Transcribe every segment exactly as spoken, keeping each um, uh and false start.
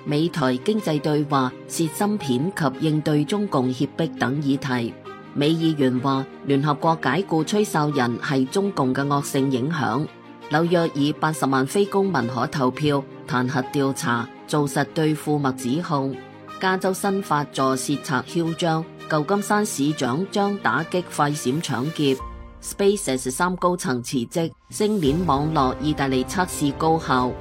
美台經濟對話涉芯片及應對中共脅迫等議題。美議員話聯合國解僱吹哨人係中共嘅惡性影響。紐約以八十萬非公民可投票彈劾調查，做實對庫麥指控。加州新法助竊賊囂張，舊金山市長將打擊快閃搶劫。SpaceX 三高層辭職，星鏈網絡意大利測試高效。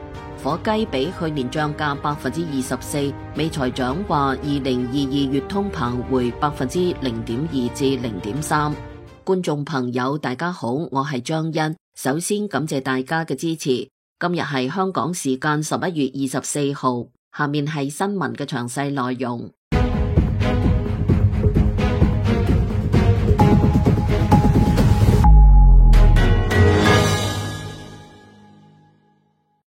火雞比去年漲價百分之二十四，美財長話二零二二月通膨回百分之零點二至零點三。觀眾朋友大家好，我係張欣，首先感謝大家嘅支持。今日係香港時間十一月二十四號，下面係新聞嘅詳細內容。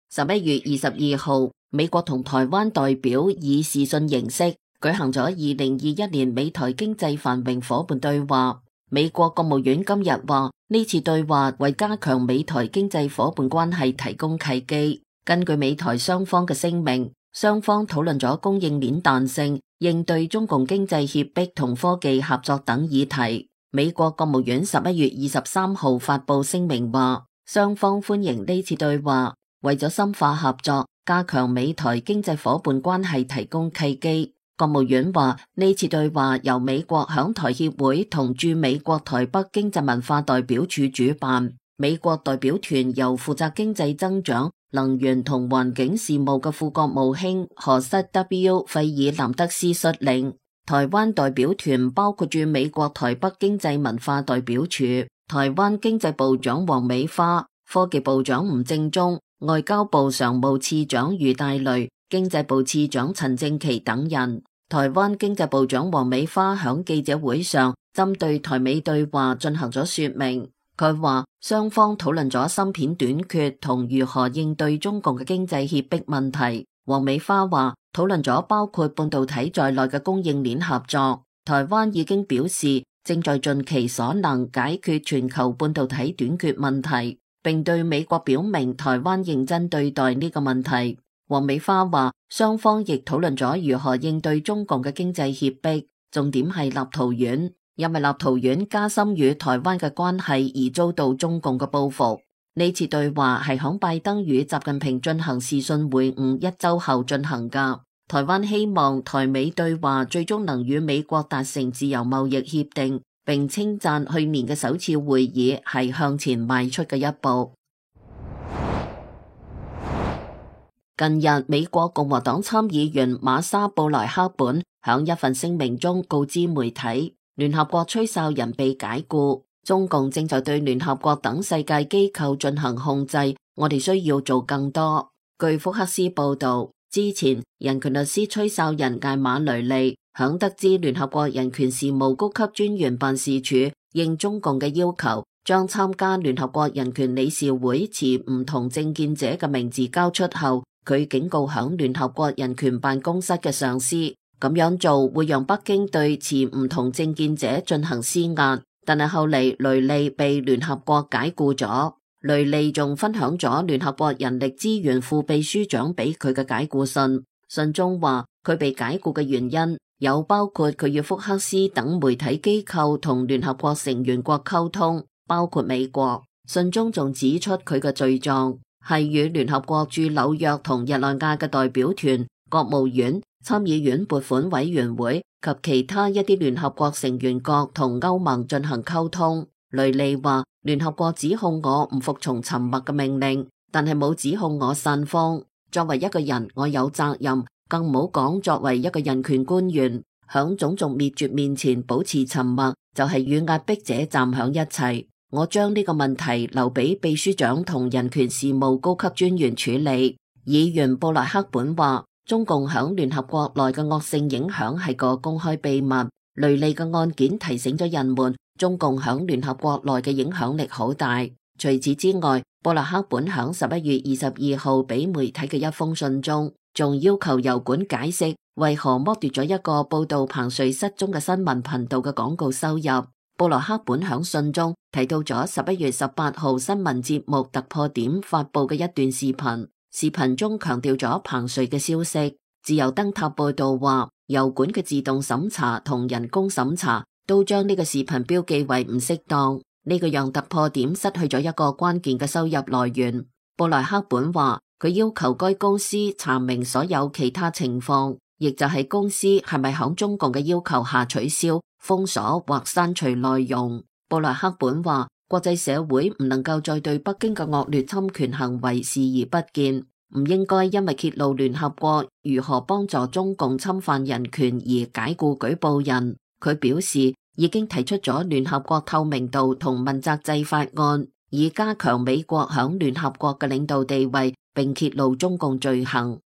十一月二十二號，美國同台灣代表以視訊形式舉行咗二零二一年美台經濟繁榮夥伴對話。美國國務院今日話，呢次對話為加強美台經濟夥伴關係提供契機。根據美台雙方嘅聲明，雙方討論咗供應鏈彈性、應對中共經濟脅迫同科技合作等議題。美國國務院十一月二十三號發佈聲明話，雙方歡迎呢次對話，為咗深化合作、加強美台經濟夥伴關係提供契機。國務院話，呢次對話由美國響台協會同駐美國台北經濟文化代表處主辦，美國代表團由負責經濟增長、能源同環境事務嘅副國務卿何塞 W 費爾南德斯率領。台灣代表團包括駐美國台北經濟文化代表處、台灣經濟部長王美花、科技部長吳正中、外交部常務次長余大雷、經濟部次長陳正奇等人。台灣經濟部長王美花響記者會上針對台美對話進行咗說明。佢話雙方討論咗芯片短缺同如何應對中共嘅經濟脅迫問題。王美花話討論咗包括半導體在內嘅供應鏈合作。台灣已經表示正在盡其所能解決全球半導體短缺問題，並對美國表明台灣認真對待呢個問題。王美花話，雙方亦討論咗如何應對中共嘅經濟脅迫，重點係立陶宛，因為立陶宛加深與台灣嘅關係而遭到中共嘅報復。呢次對話係響拜登與習近平進行視訊會晤一周後進行㗎。台灣希望台美對話最終能與美國達成自由貿易協定，並稱讚去年嘅首次會議係向前邁出嘅一步。近日，美國共和黨參議員瑪莎布萊克本響一份聲明中告知媒體，聯合國吹哨人被解僱，中共正在對聯合國等世界機構進行控制，我哋需要做更多。據福克斯報道，之前人權律師吹哨人艾馬雷利響得知聯合國人權事務高級專員辦事處應中共嘅要求，將參加聯合國人權理事會持唔同政見者嘅名字交出後，佢警告響聯合國人權辦公室嘅上司，咁樣做會讓北京對持唔同政見者進行施壓。但係後嚟雷利被聯合國解僱咗。雷利仲分享咗聯合國人力資源副秘書長俾佢嘅解僱信，信中話佢被解僱嘅原因有包括佢與福克斯等媒體機構同聯合國成員國溝通，包括美國。信中仲指出佢嘅罪狀係與聯合國駐紐約同日內瓦嘅代表團、國務院、參議院撥款委員會及其他一啲聯合國成員國同歐盟進行溝通。雷利話，聯合國指控我唔服從沉默嘅命令，但係冇指控我散謊。作為一個人，我有責任，更唔好講作為一個人權官員，響種族滅絕面前保持沉默，就係與壓迫者站響一齊。我將呢個問題留俾秘書長同人權事務高級專員處理。議員布萊克本話，中共響聯合國內嘅惡性影響係個公開秘密。雷利嘅案件提醒咗人們，中共響聯合國內嘅影響力好大。除此之外，布萊克本響十一月二十二號俾媒體嘅一封信中，仲要求油管解釋為何剝奪咗一個報道彭帥失蹤嘅新聞頻道嘅廣告收入。布萊克本響信中提到咗十一月十八號新聞節目突破點發佈嘅一段視頻，視頻中強調咗彭帥嘅消息。自由燈塔報道話，油管嘅自動審查同人工審查都將呢個視頻標記為唔適當，呢個讓突破點失去咗一個關鍵嘅收入來源。布萊克本話，佢要求該公司查明所有其他情況，亦就係公司係咪響中共嘅要求下取消、封鎖或刪除內容。布萊克本話，國際社會唔能夠再對北京嘅惡劣侵權行為視而不見，唔應該因為揭露聯合國如何幫助中共侵犯人權而解僱舉報人。佢表示，已經提出咗聯合國透明度同問責制法案，以加強美國響聯合國嘅領導地位，並揭露中共罪行。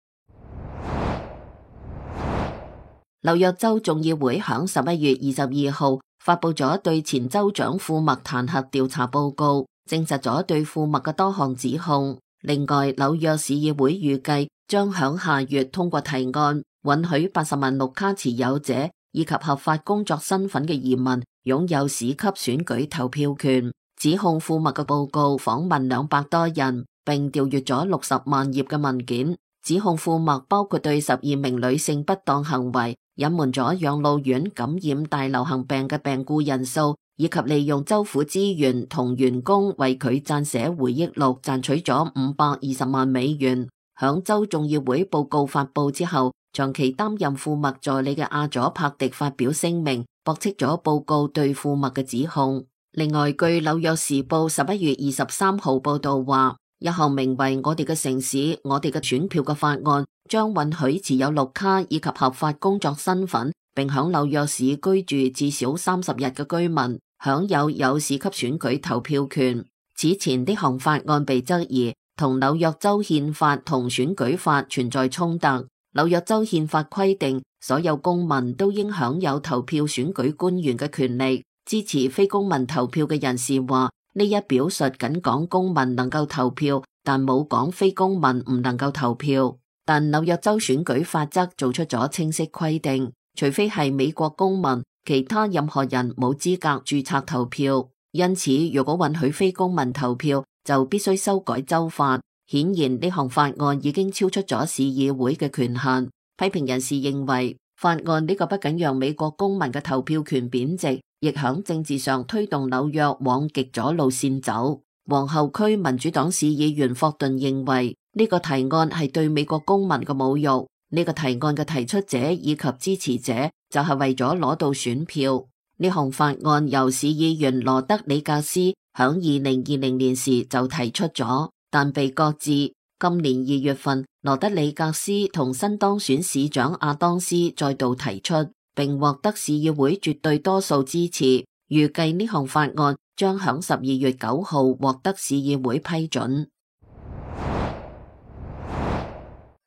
紐約州眾議會響十一月二十二號發佈咗對前州長庫默彈劾調查報告，證實咗對庫默嘅多項指控。另外，紐約市議會預計將響下月通過提案，允許八十萬綠卡持有者以及合法工作身份嘅移民擁有市級選舉投票權。指控庫默嘅報告訪問兩百多人，並調閱咗六十萬頁嘅文件。指控庫默包括對十二名女性不當行為、隱瞞咗養老院感染大流行病嘅病故人數，以及利用州府資源同員工為佢撰寫回憶錄賺取咗五百二十萬美元。響州眾議會報告發佈之後，長期擔任庫默助理嘅阿佐柏迪發表聲明，駁斥咗報告對庫默嘅指控。另外，據紐約時報十一月二十三號報道話，一項名為我哋嘅城市，我哋嘅選票嘅法案，將允許持有綠卡以及合法工作身份，並響紐約市居住至少三十日嘅居民，享有有市級選舉投票權。此前呢項法案被質疑同紐約州憲法同選舉法存在衝突。紐約州憲法規定，所有公民都應享有投票選舉官員嘅權利。支持非公民投票嘅人士話，呢一表述僅講公民能夠投票，但冇講非公民唔能夠投票。但紐約州選舉法則做出咗清晰規定，除非係美國公民，其他任何人冇資格註冊投票。因此，如果允許非公民投票，就必須修改州法。顯然呢項法案已經超出咗市議會嘅權限。批評人士認為，法案呢個不僅讓美國公民嘅投票權貶值，亦響政治上推動紐約往極左路線走。皇后區民主黨市議員霍頓認為呢個提案係對美國公民嘅侮辱。呢個提案嘅提出者以及支持者就係為咗攞到選票。呢項法案由市議員羅德里格斯響二零二零年時就提出咗，但被擱置。今年二月份，羅德里格斯同新當選市長阿當斯再度提出，並獲得市議會絕對多數支持。預計呢項法案將響十二月九號獲得市議會批准。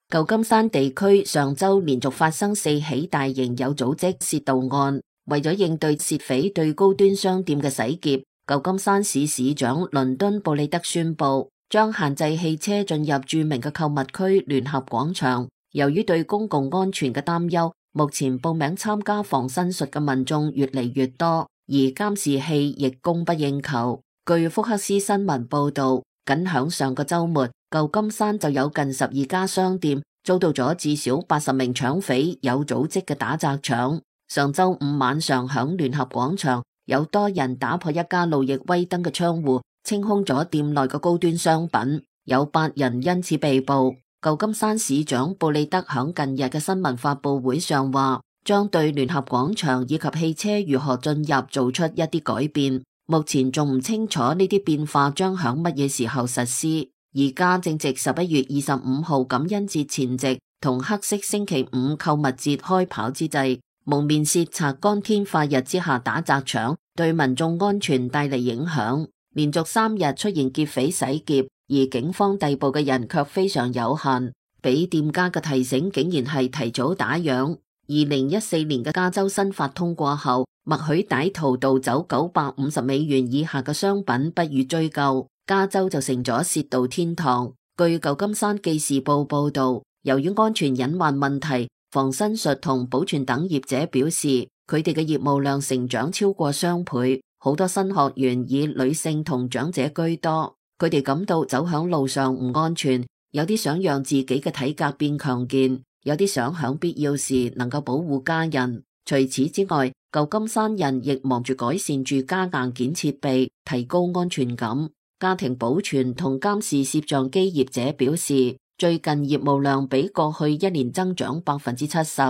舊金山地區上周連續發生四起大型有組織竊盜案，為咗應對竊匪對高端商店嘅洗劫，舊金山市市長倫敦布利德宣布將限制汽車進入著名嘅購物區聯合廣場。由於對公共安全嘅擔憂，目前報名參加防身術嘅民眾越嚟越多，而監視器亦供不應求。據福克斯新聞報道，僅響上個周末，舊金山就有近十二家商店遭到咗至少八十名搶匪有組織嘅打砸搶。上周五晚上響聯合廣場，有多人打破一家路易威登嘅窗戶，清空咗店內嘅高端商品，有八人因此被捕。舊金山市長布利德響近日嘅新聞發佈會上話，將對聯合廣場以及汽車如何進入做出一啲改變。目前仲唔清楚呢啲變化將響乜嘢時候實施。而家正值十一月二十五號感恩節前夕同黑色星期五購物節開跑之際，蒙面竊賊光天化日之下打砸搶，對民眾安全帶嚟影響。連續三日出現劫匪洗劫，而警方逮捕嘅人卻非常有限。俾店家嘅提醒竟然係提早打烊。二零一四年嘅加州新法通過後，默許歹徒盜走九百五十美元以下嘅商品不予追究，加州就成咗竊盜天堂。據舊金山記事報報道，由於安全隱患問題，防身術同保全等業者表示，佢哋嘅業務量成長超過雙倍，好多新學員以女性同長者居多，佢哋感到走響路上唔安全，有啲想讓自己嘅體格變強健。有啲想響必要時能夠保護家人。除此之外，舊金山人亦忙住改善住家硬件設備，提高安全感。家庭保存同監視攝像機業者表示，最近業務量比過去一年增長百分之七十。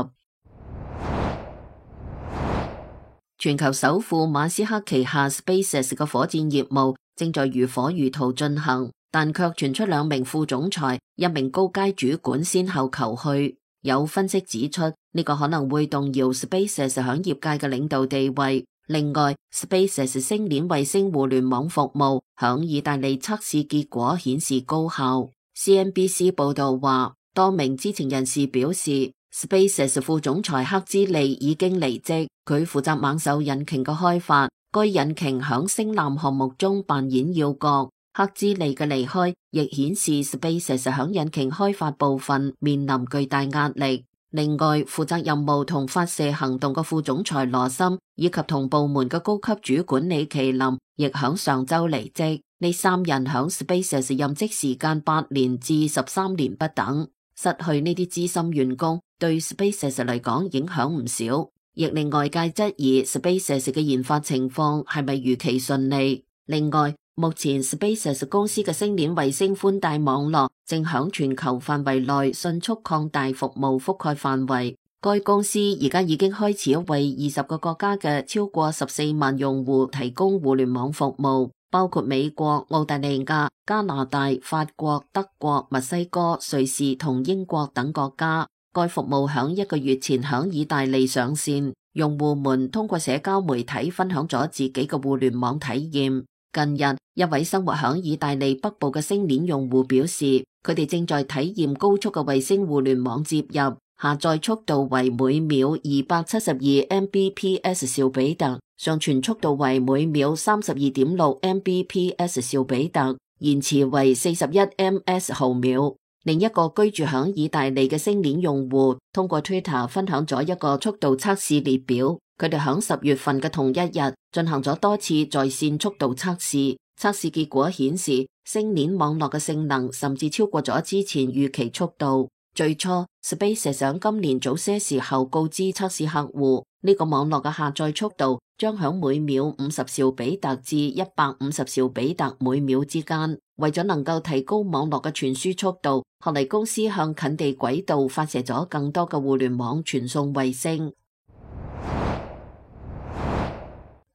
全球首富馬斯克旗下 SpaceX 嘅火箭業務正在如火如荼進行，但卻傳出兩名副總裁、一名高階主管先後求去。有分析指出，呢、這個可能會動搖 SpaceX 響業界嘅領導地位。另外 ，SpaceX 星鏈衛星互聯網服務響意大利測試結果顯示高效。C N B C 報道話，多名知情人士表示 ，SpaceX 副總裁克茲利已經離職，佢負責猛獸引擎嘅開發，該引擎響星艦項目中扮演要角。克茲利嘅離開亦顯示 SpaceX 響引擎開發部分面臨巨大壓力。另外，負責任務同發射行動嘅副總裁羅森以及同部門嘅高級主管李麒麟亦響上周離職。呢三人響 SpaceX 任職時間八年至十三年不等，失去呢啲資深員工對 SpaceX 嚟講影響唔少，亦令外界質疑 SpaceX 嘅研發情況係咪如期順利。另外，目前 SpaceX 公司嘅星鏈衛星寬帶網絡正響全球範圍內迅速擴大服務覆蓋範圍。該公司而家已經開始為二十個國家嘅超過十四萬用戶提供互聯網服務，包括美國、澳大利亞、加拿大、法國、德國、墨西哥、瑞士同英國等國家。該服務響一個月前響意大利上線，用戶們通過社交媒體分享咗自己嘅互聯網體驗。近日，一位生活響意大利北部嘅星鏈用戶表示，佢哋正在體驗高速嘅衛星互聯網接入，下載速度為每秒二百七十二 M B P S 兆比特，上傳速度為每秒三十二點六 M B P S 兆比特，延遲為四十一 M S 毫秒。另一個居住響意大利嘅星鏈用戶通過 Twitter 分享咗一個速度測試列表。佢哋響十月份嘅同一日進行咗多次在線速度測試，測試結果顯示星鏈網絡嘅性能甚至超過咗之前預期速度。最初 SpaceX 響今年早些時候告知測試客戶，呢、這個網絡嘅下載速度將響每秒五十兆比特至一百五十兆比特每秒之間。為咗能夠提高網絡嘅傳輸速度，後嚟公司向近地軌道發射咗更多嘅互聯網傳送衛星。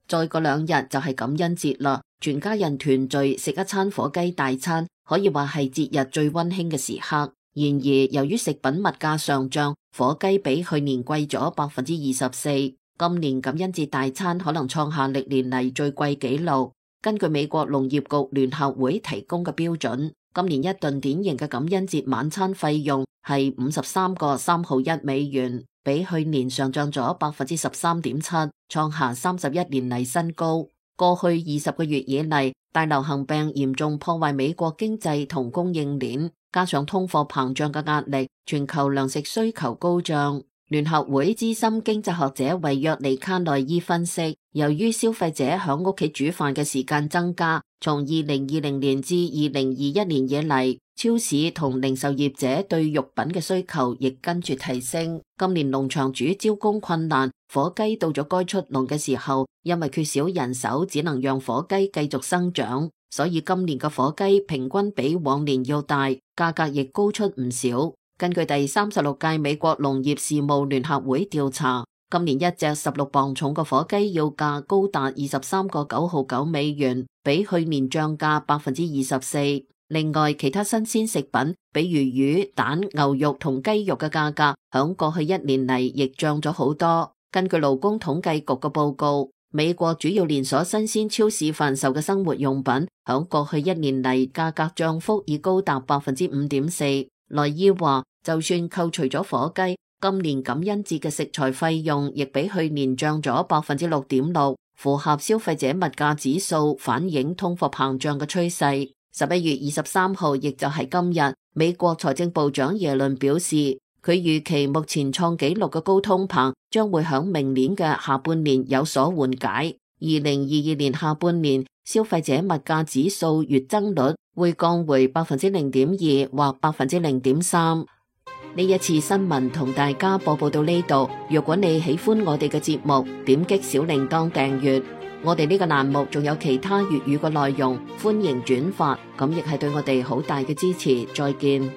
再過兩日就係感恩節啦，全家人團聚食一餐火雞大餐，可以話係節日最溫馨嘅時刻。然而，由於食品物價上漲，火雞比去年貴咗百分之二十四。今年感恩節大餐可能創下歷年嚟最貴紀錄。根據美國農業局聯合會提供嘅標準，今年一頓典型嘅感恩節晚餐費用係五十三個三毫一美元，比去年上漲咗百分之十三點七，創下三十一年嚟新高。過去二十個月以嚟，大流行病嚴重破壞美國經濟同供應鏈，加上通貨膨脹嘅壓力，全球糧食需求高漲。聯合會資深經濟學者維約尼卡內伊分析，由於消費者響屋企煮飯嘅時間增加，從二零二零年至二零二一年以嚟，超市同零售業者對肉品嘅需求亦跟住提升。今年農場主招工困難，火雞到咗該出籠嘅時候，因為缺少人手，只能讓火雞繼續生長，所以今年嘅火雞平均比往年要大，價格亦高出唔少。根據第三十六屆美國農業事務聯合會調查，今年一隻十六磅重嘅火雞要價高達二十三個九毫九美元，比去年漲價百分之二十四。另外，其他新鮮食品，比如魚、蛋、牛肉同雞肉嘅價格，響過去一年嚟亦漲咗好多。根據勞工統計局嘅報告，美國主要連鎖新鮮超市販售嘅生活用品，響過去一年嚟價格漲幅已高達百分之五點四。萊伊話，就算扣除咗火雞，今年感恩節嘅食材費用亦比去年漲咗百分之六點六，符合消費者物價指數反映通貨膨脹嘅趨勢。十一月二十三號，亦就係今日，美國財政部長耶倫表示，佢預期目前創紀錄嘅高通膨將會響明年嘅下半年有所緩解。二零二二年下半年，消費者物價指數月增率會降回百分之零點二或百分之零點三。呢一次新聞同大家播報到呢度。如果你喜歡我哋嘅節目，點擊小鈴鐺訂閱。我哋呢個欄目仲有其他粵語嘅內容，歡迎轉發，咁亦係對我哋好大嘅支持。再見。